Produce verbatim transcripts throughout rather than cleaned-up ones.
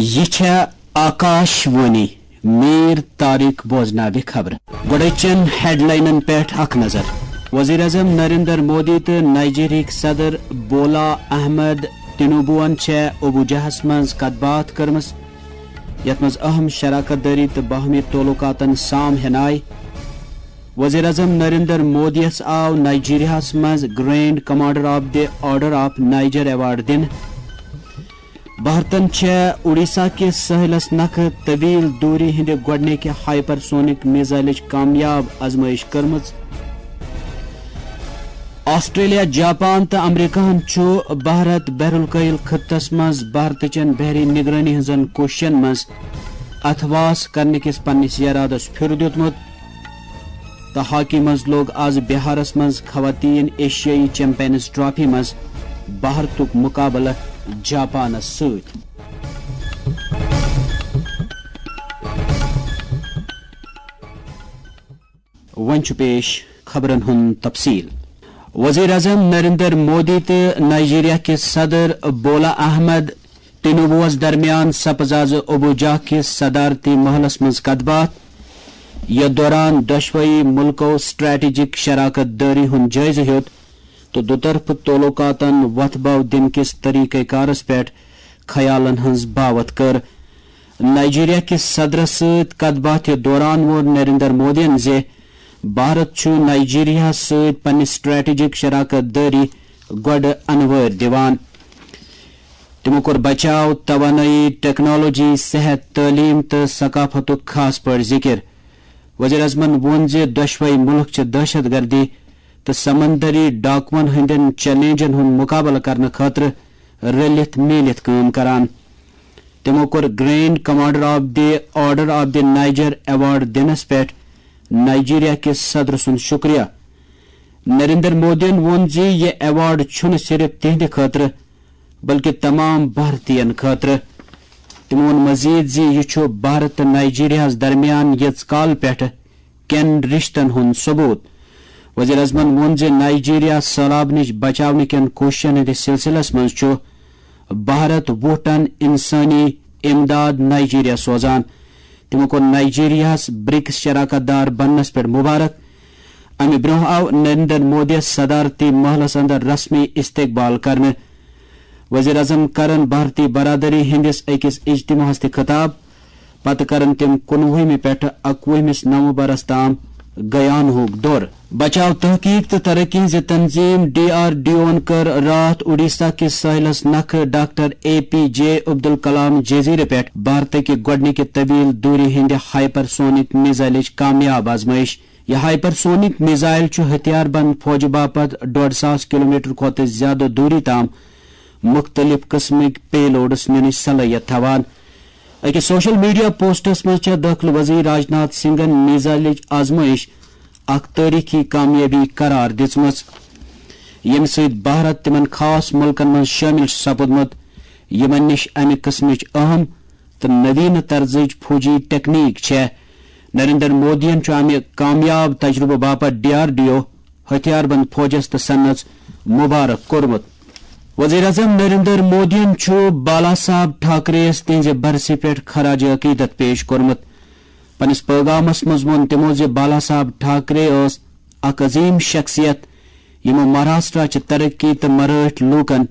یہِ چھےٚ آکاش وانی۔ میر طارق بوزناوِ خبرٕ۔ گۄڈٕچن ہیڈلاینن پٮ۪ٹھ اکھ نظر۔ وزیر اعظم نریندر مودی تہٕ نائیجیریاہٕکۍ صدر بولا احمد تنوبوَن چھےٚ ابوجاہَس منٛز کتھ باتھ کٔرمٕژ، یتھ منٛز اہم شراکت دٲری تہٕ باہمی تعلقاتن سام ہینہٕ آیہِ۔ وزیر اعظم نریندر مودیَس آو نائیجیریاہَس منٛز Grand Commander of the Order of Niger Award دِنہٕ۔ بھارتن چھےٚ اڈیشہ کِس سٲحلس نکھٕ طویل دوری ہٕنٛدِ گۄڈٕنِکہِ ہائپر سونک میزائلٕچ کامیاب آزمائش کٔرمٕژ۔ آسٹریلیا، جاپان تہٕ امریکہن چھُ بھارت بحر الکاہل خطس منٛز بھارتٕچن بحری نگرٲنی ہٕنٛزن کوٗششن منٛز اتھواس کرنہٕ کِس پننِس ارادس پھِر دیُتمُت۔ تہٕ ہاکی منٛز لوٚگ آز بہارس منٛز خواتین ایشیائی چیمپئنز ٹرافی منٛز بھارتُک مقابلہٕ جاپانس سۭتۍ۔ وۄنۍ چھُ پیش خبرن ہُنٛد تفصیل۔ وزیر اعظم نریندر مودی تہٕ نائیجیریا کِس صدر بولا احمد تنوبوَس درمیان سپٕز آز ابوجا کِس صدارتی محلس منٛز کتھ باتھ۔ یتھ دوران دۄشوٕے مُلکو سٹریٹجک شراکت دٲری ہُنٛد جٲیزٕ ہیوٚت تہٕ دُطرفہٕ تعلقاتن وۄتھٕ بو دِنہٕ کِس طریقہ کارس پٮ۪ٹھ خیالن ہٕنٛز باوتھ کٔر۔ نائیجیریا کِس صدرس سۭتۍ کتھ باتھِ دوران ووٚن نریندر مودیَن زِ بھارت چھُ نائیجیریاہَس سۭتۍ پننہِ سٹریٹجک شراکت دٲری گۄڈٕ انوٲرۍ دِوان۔ تِمو کوٚر بچاو، توانٲیی، ٹیکنالوجی، صحت، تعلیم تہٕ ثقافتُک خاص پٲٹھۍ ذِکِر۔ وزیر اعظمن ووٚن زِ دۄشوے مُلک چھِ دہشت گردی تہٕ سمندری ڈاکوَن ہٕنٛدٮ۪ن چیلنجن ہُنٛد مقابلہٕ کرنہٕ خٲطرٕ رٔلِتھ میٖلِتھ کٲم کران۔ تِمو کوٚر Grand Commander of the Order of the Niger Award دِنس پٮ۪ٹھ نائیجیریا کِس صدر سُنٛد شُکریہ۔ نریندر مودیَن ووٚن زِ یہِ ایوارڈ چھُنہٕ صرف تِہنٛدِ خٲطرٕ، بلکہِ تمام بھارتین خٲطرٕ۔ تِمو ووٚن مزید زِ یہِ چھُ بھارت تہٕ نائیجیریاہَس درمیان یٔژ کال پٮ۪ٹھٕ کٮ۪ن رِشتن ہُنٛد ثبوت۔ وزیر اعظمن ووٚن زِ نائیجیریا سٔہلاب نِش بچاونہٕ کٮ۪ن کوٗششن ہٕنٛدِس سلسلس منٛز چھُ بھارت وُہ ٹن انسٲنی امداد نائیجیریا سوزان۔ تِمو کوٚر نائیجیریاہَس برکس شراکت دار بننس پٮ۪ٹھ مبارک۔ امہِ برونٛہہ آو نریندر مودیَس صدارتی محلس اندر رسمی استقبال کرنہٕ۔ وزیر اعظم کرن بھارتی برادری ہٕنٛدِس أکِس اجتماعس تہِ خطاب۔ پتہٕ کرن تِم کُنوُہمہِ پٮ۪ٹھٕ اکوُہمِس نومبرس تام گیانہُک دورٕ۔ بچاو تحقیق تہٕ ترقی ہٕنٛزِ تنظیم ڈی آر ڈی اوَن کٔر راتھ اڈیشہ کِس ساحلس نکھٕ doctor A P J Abdul Kalam جزیرٕ پٮ۪ٹھ بھارتٕکہِ گۄڈٕنِکہِ طویل دوٗری ہٕنٛدِ ہائپر سونک میزائلٕچ کامیاب آزمائش۔ یہِ ہائپر سونک میزائل چھُ ہتھیار بند فوجہٕ باپتھ ڈۄڈ ساس کلومیٹر کھۄتہٕ زیادٕ دوٗری تام مُختٔلِف قٕسمٕکۍ پے لوڈس نِنٕچ صلٲحیت تھاوان۔ أکِس سوشل میڈیا پوسٹس منٛز چھےٚ دٲخلہٕ وزیر راجناتھ سنگھن میزائلٕچ آزمائش اکھ تٲریخی کامیٲبی قرار دِژمٕژ، ییٚمہِ سۭتۍ بھارت تِمن خاص مُلکن منٛز شٲمِل چھُ سپُدمُت، یِمن نِش امہِ قٕسمٕچ اہم تہٕ نوینہٕ طرزٕچ فوجی ٹیکنیک چھےٚ۔ نریندر مودیَن چھُ امہِ کامیاب تجربہٕ باپتھ ڈی آر ڈی او، ہتھیار بند فوجس تہٕ صنعتس مبارک کوٚرمُت۔ وزیر اعظم نریندر مودیَن چھُ بالا صاحب ٹھاکرے یَس تِہنٛزِ برسی پٮ۪ٹھ خراج عقیدت پیش کوٚرمُت۔ پننِس پیغامس منٛز ووٚن تِمو زِ بالا صاحب ٹھاکرے ٲس اکھ عظیم شخصیت، یِمو مہاراشٹرا چہِ ترقی تہٕ مرٲٹھۍ لوٗکن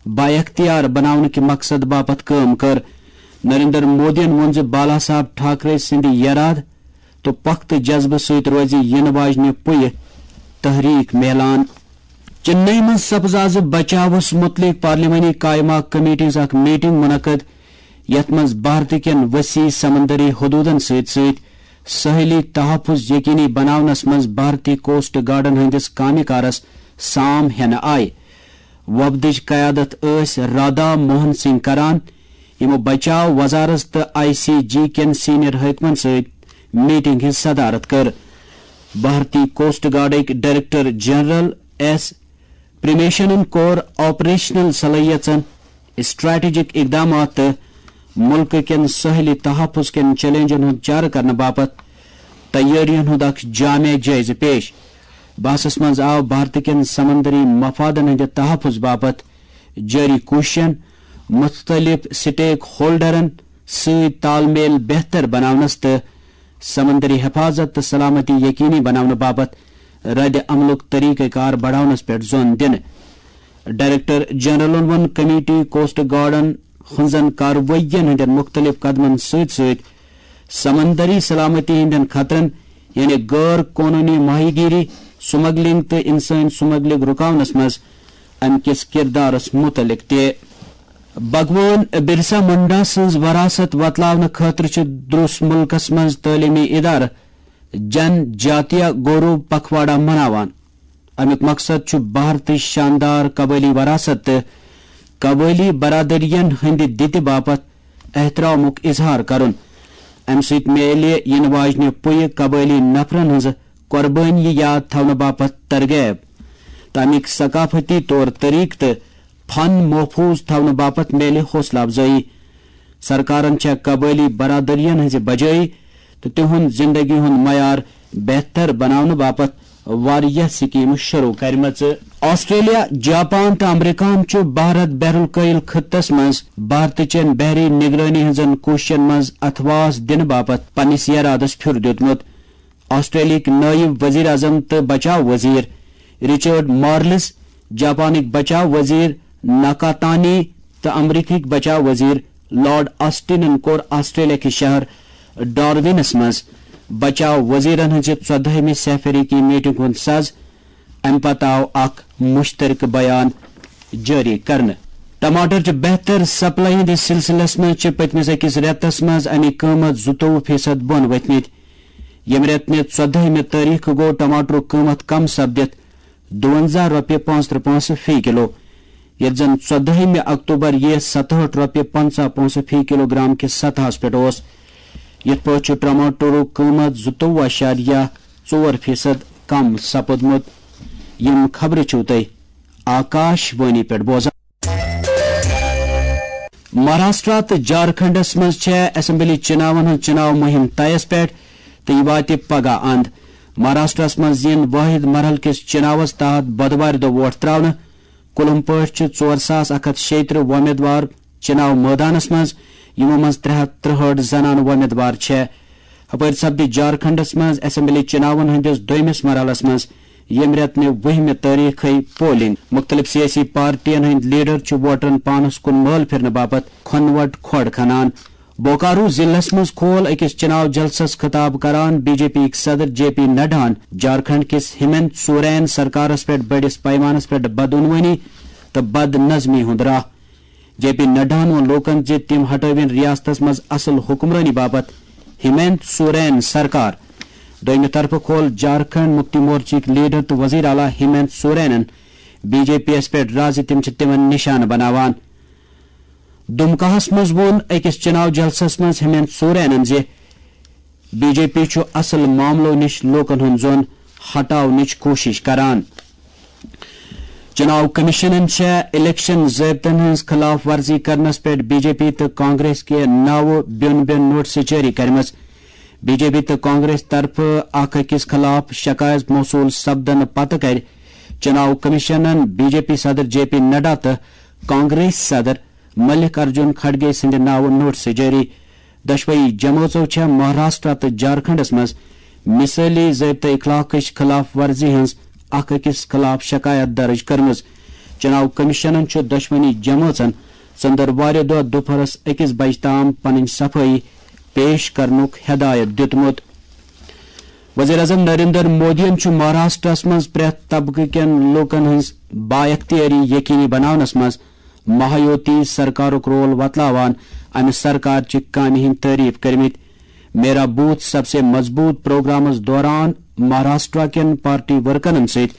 بااختیار بناونہٕ کہِ مقصد باپتھ کٲم کٔر۔ نریندر مودیَن ووٚن زِ بالا صاحب ٹھاکرے سٕنٛدِ یرادٕ تہٕ پۄختہٕ جذبہٕ سۭتۍ روزِ یِنہٕ واجنہِ پُیہِ تحریک میلان۔ چنئی منٛز سپز آز بچاوس متعلق پارلیمانی قائمہ کمیٹی ہٕنٛز اکھ میٹنگ منعقد، یتھ منٛز بھارت کٮ۪ن وسیع سمندری حدودن سۭتۍ سۭتۍ ساحلی تحفظ یقینی بناونس منٛز بھارتی کوسٹ گارڈن ہٕنٛدِس کامہِ کارس سام ہینہٕ آیہِ۔ وفدٕچ قیادت ٲسۍ رادھا موہن سنگھ کران، یِمو بچاو وزارت تہٕ آئی سی جی کٮ۪ن سینئر حٲکمن سۭتۍ میٹنگ ہٕنٛز صدارت کٔر۔ بھارتی کوسٹ گارڈٕکۍ ڈائریکٹر جنرل ایس پریمیشنن کوٚر آپریشنل صلٲحیژن، اسٹریٹجک اقدامات تہٕ ملکہٕ کٮ۪ن ساحلی تحفظ کٮ۪ن چیلنجن ہُنٛد چارٕ کرنہٕ باپتھ تیٲرین ہُنٛد اکھ جامع جٲیزٕ پیش۔ بحثس منٛز آو بھارت کٮ۪ن سمندری مفادن ہٕنٛدِ تحفظ باپتھ جٲری کوٗششن مُختٔلِف سٹیک ہولڈرن سۭتۍ تال میل بہتر بناونس تہٕ سمندری حفاظت تہٕ سلامتی یقینی بناونہٕ باپتھ رد عملُک طریقہ کار بڑاونس پٮ۪ٹھ زون دِنہٕ۔ ڈائریکٹر جنرلن ووٚن کمیٹی کوسٹ گارڈن ہٕنٛزن کاروٲیین ہٕنٛدٮ۪ن مُختٔلِف قدمن سۭتۍ سۭتۍ سمندری سلامتی ہٕنٛدٮ۪ن خطرن، یعنی غٲر قونوٗنی ماہی گیری، سمگلنگ تہٕ انسٲنی سمگلنگ رُکاونس منٛز امہِ کِس کردارس مُتعلق تہِ۔ بھگوان برسا منڈا سٕنٛز وراثت وۄتلاونہٕ خٲطرٕ چھِ دروس مُلکس منٛز تعلیمی ادارٕ جن جاتیہ گورو پکھواڑا مناوان۔ امیُک مقصد چھُ بھارتٕچ شاندار قبٲیلی وراثت تہٕ قبٲیلی برادریَن ہٕنٛدِ دِتہِ باپتھ احترامُک اظہار کرُن۔ امہِ سۭتۍ میلہِ یِنہٕ واجنہِ پُیہِ قبٲیلی نفرن ہٕنٛزٕ قۄربٲنی یاد تھاونہٕ باپتھ ترغیب تہٕ امیُک ثقافتی طور طریقہٕ تہٕ فن محفوظ تھاونہٕ باپتھ میلہِ حوصلہٕ افزٲیی۔ سرکارن چھےٚ قبٲیلی برادریَن ہٕنٛزِ بجٲیی تہٕ تِہُنٛد زندگی ہُنٛد معیار بہتر بناونہٕ باپتھ واریاہ سکیمہٕ شروع کرِمژٕ۔ آسٹریلیا، جاپان تہٕ امریکہَن چھُ بھارت بحر الکاہل خطس منٛز بھارتٕچٮ۪ن بحری نگرٲنی ہٕنٛزن کوٗششن منٛز اتھواس دِنہٕ باپتھ پننِس یرادس پھیُر دیُتمُت۔ آسٹریلیاہٕکۍ نٲیِب وزیر اعظم تہٕ بچاو وزیر رچرڈ مارلز، جاپانٕکۍ بچاو وزیر ناکاتانی تہٕ امریکہٕکۍ بچاو وزیر لارڈ آسٹنن کوٚر آسٹریلیا کِس شہر ڈارونس منٛز بچاو وزیرن ہٕنٛزِ ژۄدہمہِ سہ فریقی میٹنگ ہُنٛد سز۔ امہِ پتہٕ آو اکھ مشترکہٕ بیان جٲری کرنہٕ۔ ٹماٹر چہِ بہتر سپلائی ہٕنٛدِس سلسلس منٛز چھِ پٔتمِس أکِس رٮ۪تس منٛز اَمِکۍ قۭمت زٕتووُہ فیصد بۄن ؤتھمٕتۍ۔ ییٚمہِ رٮ۪تہٕ نہِ ژۄدہمہِ تٲریخہٕ گوٚو ٹماٹرُک قۭمت کم سپدِتھ دُونزہ رۄپیہِ پانٛژترٕہ پونٛسہٕ فی کلو، ییٚتہِ زن ژۄدہمہِ اکتوبر یہِ ستہٲٹھ رۄپیہِ پنٛژاہ پونٛسہٕ فی کلو گرام کِس سطحس پٮ۪ٹھ اوس۔ یِتھ پٲٹھۍ چھُ ٹماٹرُک قۭمت زٕتووُہ اعشاریہ ژور فیصد کم سپُدمُت۔ یِم خبرٕ چھِو تُہۍ آکاش وانی پٮ۪ٹھ بوزان۔ مہاراشٹرا تہٕ جھارکھنڈس منٛز چھےٚ اسمبلی چناون ہٕنٛز چناو مُہِم طیس پٮ۪ٹھ تہٕ یہِ واتہِ پگاہ اند۔ مہاراشٹرس منٛز یِن وٲحد مرحلہٕ کِس چناوس تحت بۄدوارِ دۄہ ووٹ تراونہٕ۔ کُلم پٲٹھۍ چھِ ژور ساس اکھ ہتھ شیٚیہِ ترٕہ وۄمیدوار چناو مٲدانس منٛز، یِمو منٛز ترٛےٚ ہتھ ترٛہٲٹھ زنانہٕ وۄمیدوار چھےٚ۔ ہپٲرۍ سپدِ جھارکھنڈس منٛز اسمبلی چناون ہٕنٛدِس دوٚیمِس مرحلس منٛز ییٚمہِ رٮ۪تہٕ نہِ وُہمہِ تٲریخٕے پولنگ۔ مُختٔلِف سیٲسی پارٹین ہٕنٛدۍ لیڈر چھِ ووٹرن پانس کُن مٲل پھرنہٕ باپتھ کھۄنہٕ وٹ کھۄڑ کھنان۔ بوکارو ضلعس منٛز کھول أکِس چناو جلسس خطاب کران بی جے پی یِکۍ صدر جے پی نڈاہن جھارکھنڈ کِس ہیمنت سورین سرکارس پٮ۪ٹھ بٔڑِس پیمانس پٮ۪ٹھ بدعنوانی تہٕ بد نظمی ہُنٛد راہ۔ جے پی نڈاہن ووٚن لوٗکن زِ تِم ہٹٲوِن ریاستس منٛز اصل حکمرٲنی باپتھ ہیمنت سورین سرکار۔ دوٚیمہِ طرفہٕ کھول جھارکھنڈ مُکتی مورچہٕکۍ لیڈر تہٕ وزیر اعلیٰ ہیمنت سورینن بی جے پی یَس پٮ۪ٹھ راہ زِ تِم چھِ تِمن نشانہٕ بناوان۔ دُمکاہَس منٛز ووٚن أکِس چناو جلسَس منٛز ہیمنت سورینَن زِ بی جے پی چھُ اصل معاملو نِش لوٗکَن ہُنٛد ظۄن ہٹاونٕچ کوٗشِش کران۔ چناو کمیشنَن چھےٚ الیکشن ضٲبطن ہٕنٛز خلاف ورزی کرنَس پٮ۪ٹھ بی جے پی تہٕ کانگریس کہِ ناوٕ بیوٚن بیوٚن نوٹسہٕ جٲری کٔرمٕژ۔ بی جے پی تہٕ کانگریس طرفہٕ اکھ أکِس خلاف شکایت موصول سپدنہٕ پتہٕ کَرِ چناو کمیشنَن بی جے پی صدر جے پی نڈا تہٕ کانگریس صدر ملک ارجن کھڑگے سٕنٛدِ ناوٕ نوٹسہٕ جٲری۔ دۄشوٕے جمٲژو چھےٚ مہاراشٹرا تہٕ جھارکھنڈس منٛز مثٲلی ضٲبطہٕ اخلاقٕچ خلاف ورزی ہٕنٛز اکھ أکِس خلاف شکایت درٕج کٔرمٕژ۔ چناو کمیشنن چھُ دۄشوٕنی جمٲژن ژٔنٛدٕروارِ دۄہ دُپہرس أکِس بجہِ تام پنٕنۍ صفٲیی پیش کرنُک ہدایت دِیُتمُت۔ وزیر اعظم نریندر مودیَن چھُ مہاراشٹرس منٛز پرٛٮ۪تھ طبقہٕ کٮ۪ن لوٗکَن ہٕنٛز بااختیٲری یقینی بناونس منٛز مہایوتی سرکارُک رول وۄتلاوان امہِ سرکار چہِ کامہِ ہٕنٛدۍ تعریف کٔرمٕتۍ۔ میرا بوتھ سب سے مضبوط پروگرامس دوران مہاراشٹرا کٮ۪ن پارٹی ورکرن سۭتۍ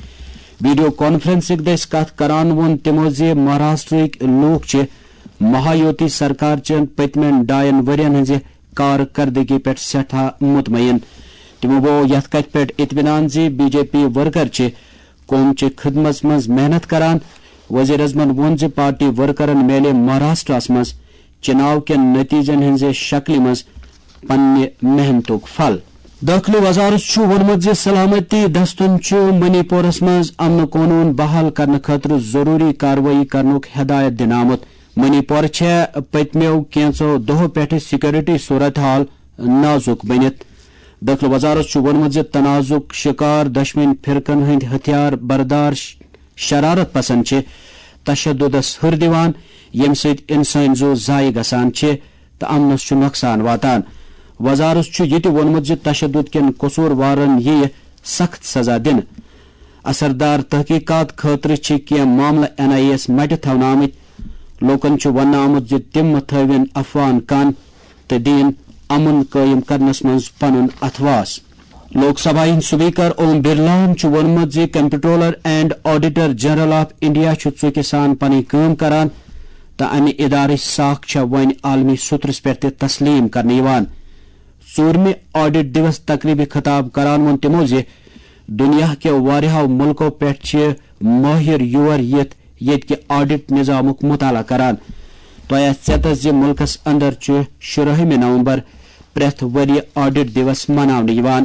ویڈیو کانفرنسٕک دٔسۍ کتھ کران ووٚن تِمو زِ مہاراشٹرٕکۍ لوٗکھ چھِ مہایوتی سرکار چٮ۪ن پٔتمٮ۪ن ڈاین ؤرین ہٕنٛزِ کارکردگی پٮ۪ٹھ سٮ۪ٹھاہ مطمئن۔ تِمو ووٚو یتھ کتھِ پٮ۪ٹھ اطمینان زِ بی جے پی ورکر چھِ قوم چہِ خدمژ منٛز محنت کران۔ وزیر اعظمن ووٚن زِ پارٹی ورکرن میلہِ مہاراشٹرس منٛز چناو کٮ۪ن نتیجن ہٕنٛزِ شکلہِ منٛز پننہِ محنتُک پھل۔ دٲخلہٕ وزارت چھُ ووٚنمُت زِ سلامتی دستن چھُ منی پورس منٛز امن قونوٗن بحال کرنہٕ خٲطرٕ ضروٗری کاروٲیی کرنُک ہدایت دِنہٕ آمُت۔ منی پور چھےٚ پٔتمیو کینٛژو دۄہو پٮ۪ٹھٕ سیکورٹی صورت حال نازُک بٔنِتھ۔ دٲخلہٕ وزارت چھُ ووٚنمُت زِ تنازُک شکار دۄشوٕنۍ فرقن ہٕنٛدۍ ہتھیار بردار ش-، شرارت پسند چھِ تشددس ہُر دِوان، ییٚمہِ سۭتۍ انسٲنۍ زُو ضایع گژھان چھِ تہٕ امنس چھُ نۄقصان واتان۔ وزارت چھُ یہِ تہِ ووٚنمُت زِ تشدد کٮ۪ن قصوٗروارن یِیہِ سخت سزا دِنہٕ۔ اثردار تحقیقات خٲطرٕ چھِ کینٛہہ معاملہٕ این آئی اے یَس مَٹہِ تھاونہٕ آمٕتۍ۔ لوٗکَن چھُ وننہٕ آمُت زِ تِم مہٕ تھٲوِن افواہَن کَن تہٕ دِیِن امن قٲیِم کرنَس منٛز پنُن اتھواس۔ لوک سبھا ہٕنٛدۍ سپیکر اوم برلاہَن چھُ ووٚنمُت زِ comptroller and auditor general of India چھُ ژُکہِ سان پنٕنۍ کٲم کران تہٕ امہِ ادارٕچ ساکھ چھےٚ وۄنۍ عالمی سطرس پٮ۪ٹھ تہِ تسلیم کرنہٕ یِوان۔ ژوٗرمہِ آڈٹ دیوس تقریبہِ خطاب کران ووٚن تِمو زِ دنیا کیو واریاہو ملکو پٮ۪ٹھ چھِ مٲہر یور یِتھ ییٚتہِ کہِ آڈٹ نظامُک مطالعہ کران۔ تۄہہِ آسہِ ژیتس زِ ملکس اندر چھُ شُراہمہِ نومبر پرٛٮ۪تھ ؤرۍ یہِ آڈٹ دیوس مناونہٕ یِوان۔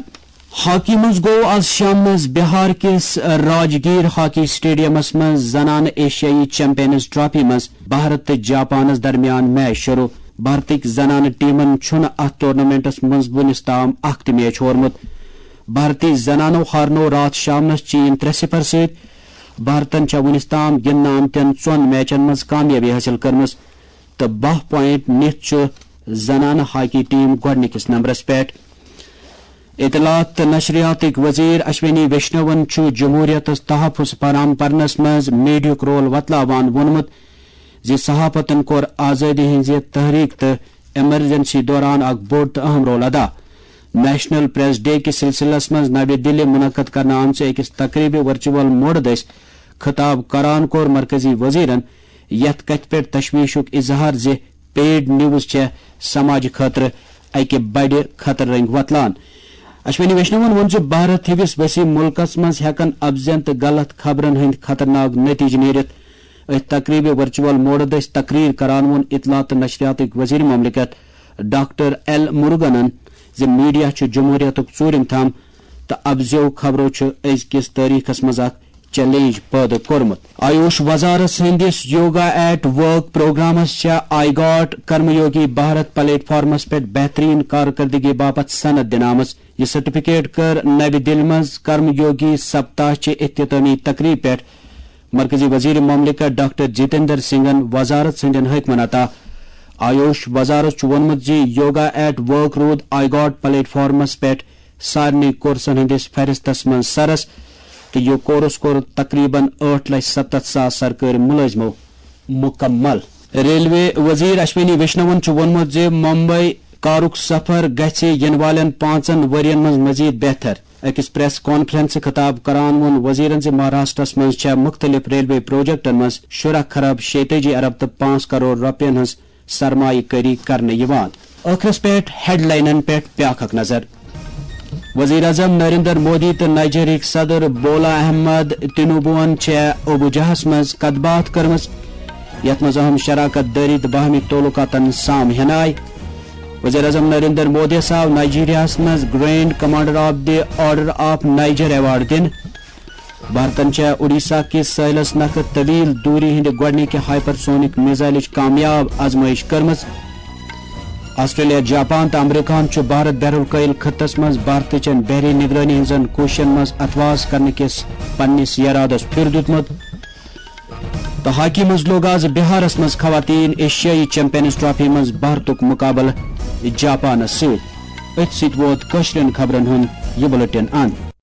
ہاکی منٛز گوٚو آز شامنس بہار کِس راجگیر ہاکی سٹیڈیمس منٛز زنانہٕ ایشیائی چیمپئنز ٹرافی منٛز بھارت تہٕ جاپانس درمیان میچ شروع۔ بھارتٕکۍ زنانہٕ ٹیمن چھُنہٕ اتھ ٹورنامنٹس منٛز وُنِس تام اکھ تہِ میچ ہورمُت۔ بھارتی زنانو ہارنوو راتھ شامنس چین ترٛےٚ صفر سۭتۍ۔ بھارتن چھےٚ وُنِس تام گِنٛدنہٕ آمتٮ۪ن ژۄن میچن منٛز کامیٲبی حٲصِل کٔرمٕژ تہٕ باہ پوینٹ نِتھ چھُ زنانہٕ ہاکی ٹیم گۄڈٕنِکِس نمبرس پٮ۪ٹھ۔ اطلاعات تہٕ نشریاتٕکۍ وزیر اشونی ویشنون چھُ جمہوریتس تحفظ فراہم کرنس منٛز میڈیاہُک رول وۄتلاوان ووٚنمُت زِ صحافتن کوٚر آزٲدی ہٕنٛزِ تحریک تہٕ ایمرجنسی دوران اکھ بوٚڑ تہٕ اہم رول ادا۔ نیشنل پریس ڈے کِس سلسلس منٛز نوِ دِلہِ منعقد کرنہٕ آمژِ أکِس تقریبہِ ورچوئل موڈ دٔسۍ خطاب کران کوٚر مرکزی وزیرن یتھ کتھِ پٮ۪ٹھ تشویشُک اظہار زِ پیڈ نیوز چھےٚ سماجہِ خٲطرٕ اکہِ بڑِ خطرٕ رنگۍ وۄتلان۔ اشونی ویشنون ووٚن زِ بھارت ہِوِس وسیع مُلکس منٛز ہٮ۪کن اپزٮ۪ن تہٕ غلط خبرن ہٕنٛدۍ خطرناک نتیجہٕ نیٖرِتھ۔ أتھۍ تقریبہِ ورچوئل موڈ دٔسۍ تقریر کران ووٚن اطلاعات تہٕ نشریاتٕکۍ وزیر مملکت ڈاکٹر ایل مُرگنن زِ میڈیا چھُ جمہوریتُک ژوٗرِم تھم تہٕ اپزیو خبرو چھُ أزکِس تٲریخس منٛز اکھ چیلنج پٲدٕ کوٚرمُت۔ آیوش وزارت سٕنٛدِس یوگا ایٹ ورک پروگرامس چھےٚ آئی گاٹ کرم یوگی بھارت پلیٹ فارمس پٮ۪ٹھ بہترین کارکردگی باپتھ سند دِنہٕ آمٕژ۔ یہِ سرٹیفکیٹ کٔر نوِ دِلہِ منٛز کرم یوگی سپتاہ چہِ اختتامی تقریب پٮ۪ٹھ مرکزی وزیر مملکت ڈاکٹر جتیندر سنگھن وزارت سٕنٛدٮ۪ن حٲکمن عطا۔ آیوش وزارت چھُ ووٚنمُت زِ یوگا ایٹ ورک روٗد آئی گاٹ پلیٹ فارمس پٮ۪ٹھ سارنٕے کورسن ہٕنٛدِس فہرستس منٛز سرس تہٕ یہِ کورس کوٚر تقریباً ٲٹھ لچھ ستتھ ساس سرکٲرۍ مُلٲزمو مُکمل۔ ریلوے وزیر اشونی ویشنون چھُ ووٚنمُت زِ ممبئی کارُک سفر گژھِ یِنہٕ والٮ۪ن پانٛژن ؤرین منٛز مزید بہتر۔ أکِس پریس کانفرنسہِ خطاب کران ووٚن وزیرن زِ مہاراشٹرس منٛز چھےٚ مُختٔلِف ریلوے پروجیکٹن منٛز شُراہ خراب شیتٲجی ارب تہٕ پانٛژھ کرور رۄپین ہٕنٛز سرمایہ کٲری کرنہٕ یِوان۔ ٲخرس پٮ۪ٹھ ہیڈلاینن پٮ۪ٹھ بیاکھ اکھ نظر۔ وزیر اعظم نریندر مودی تہٕ نائیجیرہٕکۍ صدر بولا احمد تنوبوہن چھےٚ ابوجاہس منٛز کتھ باتھ کٔرمٕژ، یتھ منٛز اہم شراکت دٲری تہٕ باہمی تعلقاتن سام ہینہٕ آیہِ۔ وزیر اعظم نریندر مودی یَس آو نائیجیریاہس منٛز grand commander of the order of Niger award دِنہٕ۔ بھارتن چھےٚ اڈیشہ کِس سٲحلس نکھٕ طویل دوری ہٕنٛدِ گۄڈٕنِکہِ ہائپرسونک میزائلٕچ کامیاب آزمائش کٔرمٕژ۔ آسٹریلیا، جاپان تہٕ امریکہن چھُ بھارت بحر الکاحل خطس منٛز بھارتٕچن بحری نگرٲنی ہٕنٛزن کوٗششن منٛز اتھواس کرنہٕ کِس پننِس یرادس پھِر دیُتمُت۔ تہٕ ہاکی منٛز لوٚگ آز بہارس منٛز خواتین ایشیائی چیمپئنز ٹرافی منٛز بھارتُک مقابلہٕ جاپانس سۭتۍ۔ أتھۍ سۭتۍ ووت کٲشرٮ۪ن خبرن ہُنٛد یہِ بُلٹن اند۔